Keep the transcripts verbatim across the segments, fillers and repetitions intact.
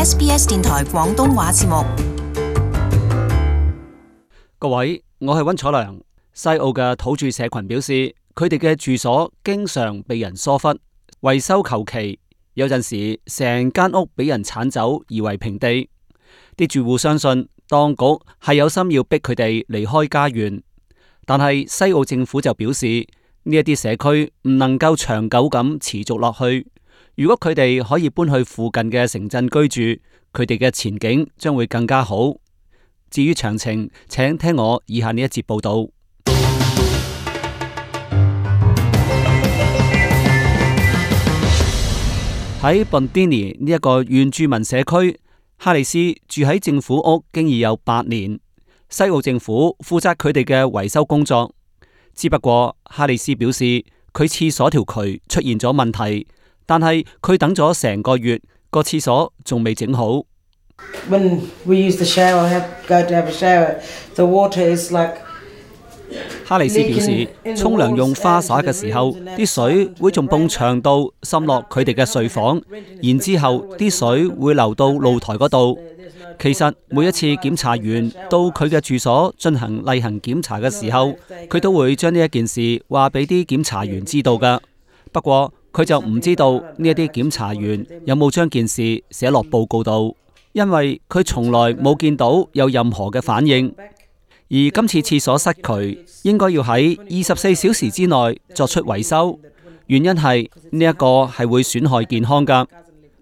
S B S 電台廣東話節目。各位，我係溫楚良。西澳嘅土著社群表示，佢哋嘅住所經常被人疏忽、維修求其，有陣時成間屋俾人鏟走，夷為平地。啲住戶相信當局係有心要逼佢哋離開家園，但係西澳政府就表示呢一啲社區唔能夠長久咁持續落去。如果佢哋可以搬去附近嘅城鎮居住，佢哋嘅前景將會更加好。至於詳情，請聽我以下呢一節報道。喺 Bundini 呢一個原住民社區，哈里斯住喺政府屋經已有八年，西澳政府負責佢哋嘅維修工作。只不過哈里斯表示，佢廁所條渠出現咗問題，但係佢等咗成個月，個廁所仲未整好。When we use the shower, have go to have a shower, the water is like。哈里斯表示，沖涼用花灑嘅時候，啲水會從埲牆度滲落佢哋嘅睡房，然之後啲水會流到露台嗰度。其實每一次檢查員到佢嘅住所進行例行檢查嘅時候，佢都會將呢一件事話俾啲檢查員知道㗎。不過佢就唔知道呢一啲檢查員有冇將件事寫落報告度，因為佢從來冇見到有任何嘅反應。而今次廁所塞渠應該要喺二十四小時之內作出維修，原因係呢一個係會損害健康㗎。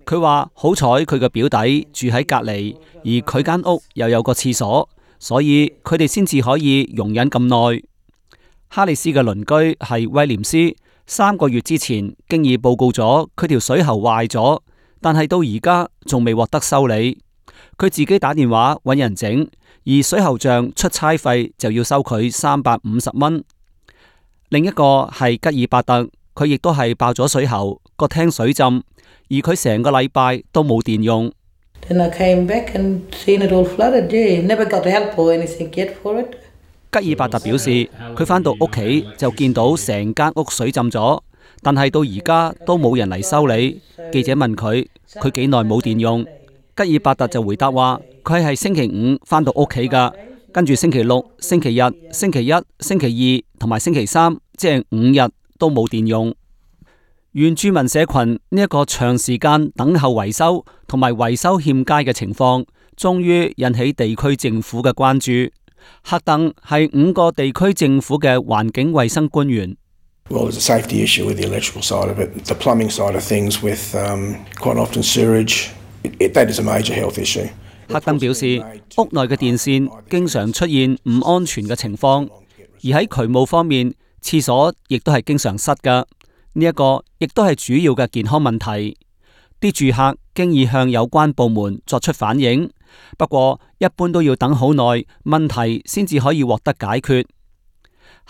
佢話好彩佢嘅表弟住喺隔離，而佢間屋又有個廁所，所以佢哋先至可以容忍咁耐。哈里斯嘅鄰居係威廉斯，三個月之前經已報告咗佢條水喉壞咗，但係到而家仲未獲得修理。佢自己打電話揾人整，而水喉匠出差費就要收佢三百五十蚊。另一個係吉爾伯特，佢亦都係爆咗水喉，個廳水浸，而佢成個禮拜都冇電用。Then I came back and seen it all flooded. Yeah, never got help or anything yet for it. 吉爾伯特表示，佢返到屋企就見到成間屋水浸咗，但係到而家都冇人嚟修理。記者問佢，佢幾耐冇電用？吉爾伯特就回答話，佢係星期五返到屋企㗎，跟住星期六、星期日、星期一、星期二同埋星期三，即係五日都冇電用。原住民社群呢一個長時間等候維修同埋維修欠佳嘅情況，終於引起地區政府嘅關注。赫登係五個地區政府嘅環境衛生官員。Well, there's a safety issue with the electrical side of it, the plumbing side of things with um, quite often sewage. It, it, that is a major health issue. 赫登表示，屋內嘅電線經常出現唔安全嘅情況，而喺渠務方面，廁所亦都係經常塞㗎。呢一個亦都係主要嘅健康問題。啲住客經已向有關部門作出反映，不過一般都要等好耐，問題先至可以獲得解決。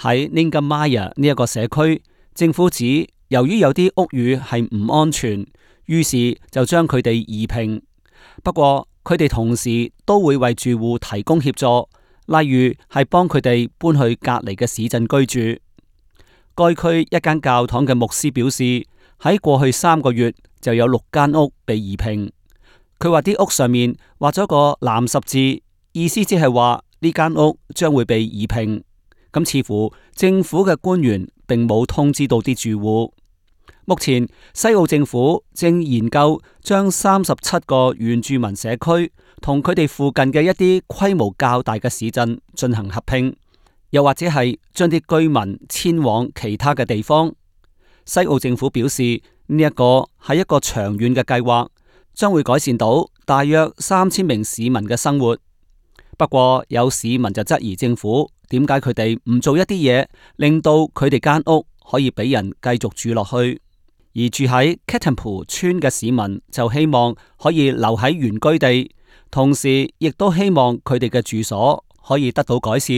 喺 Ningamaya 呢一個社區，政府指由於有啲屋宇係唔安全，於是就將佢哋移平。不過佢哋同時都會為住戶提供協助，例如係幫佢哋搬去隔離嘅市鎮居住。該區一間教堂嘅牧師表示，喺過去三個月就有六間屋被移平。佢話啲屋上面畫咗個藍十字，意思即係話呢間屋將會被移平。咁似乎政府嘅官員並冇通知到啲住戶。目前西澳政府正研究將三十七個原住民社區同佢哋附近嘅一啲規模較大嘅市鎮進行合併，又或者係將啲居民遷往其他嘅地方。西澳政府表示，呢一個係一個長遠嘅計劃，將會改善到大約三千名市民嘅生活。不過有市民就質疑政府點解佢哋唔做一啲嘢，令到佢哋間屋可以俾人繼續住落去。而住喺 Ketempu 村嘅市民就希望可以留喺原居地，同時亦都希望佢哋嘅住所可以得到改善。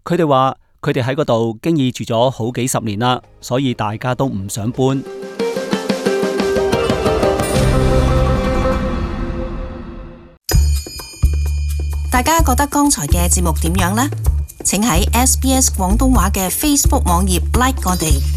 佢哋話佢哋喺嗰度經已住咗好幾十年啦，所以大家都唔想搬。大家覺得剛才嘅節目點樣呢？請喺 S B S 廣東話嘅 Facebook 網頁 like 我哋。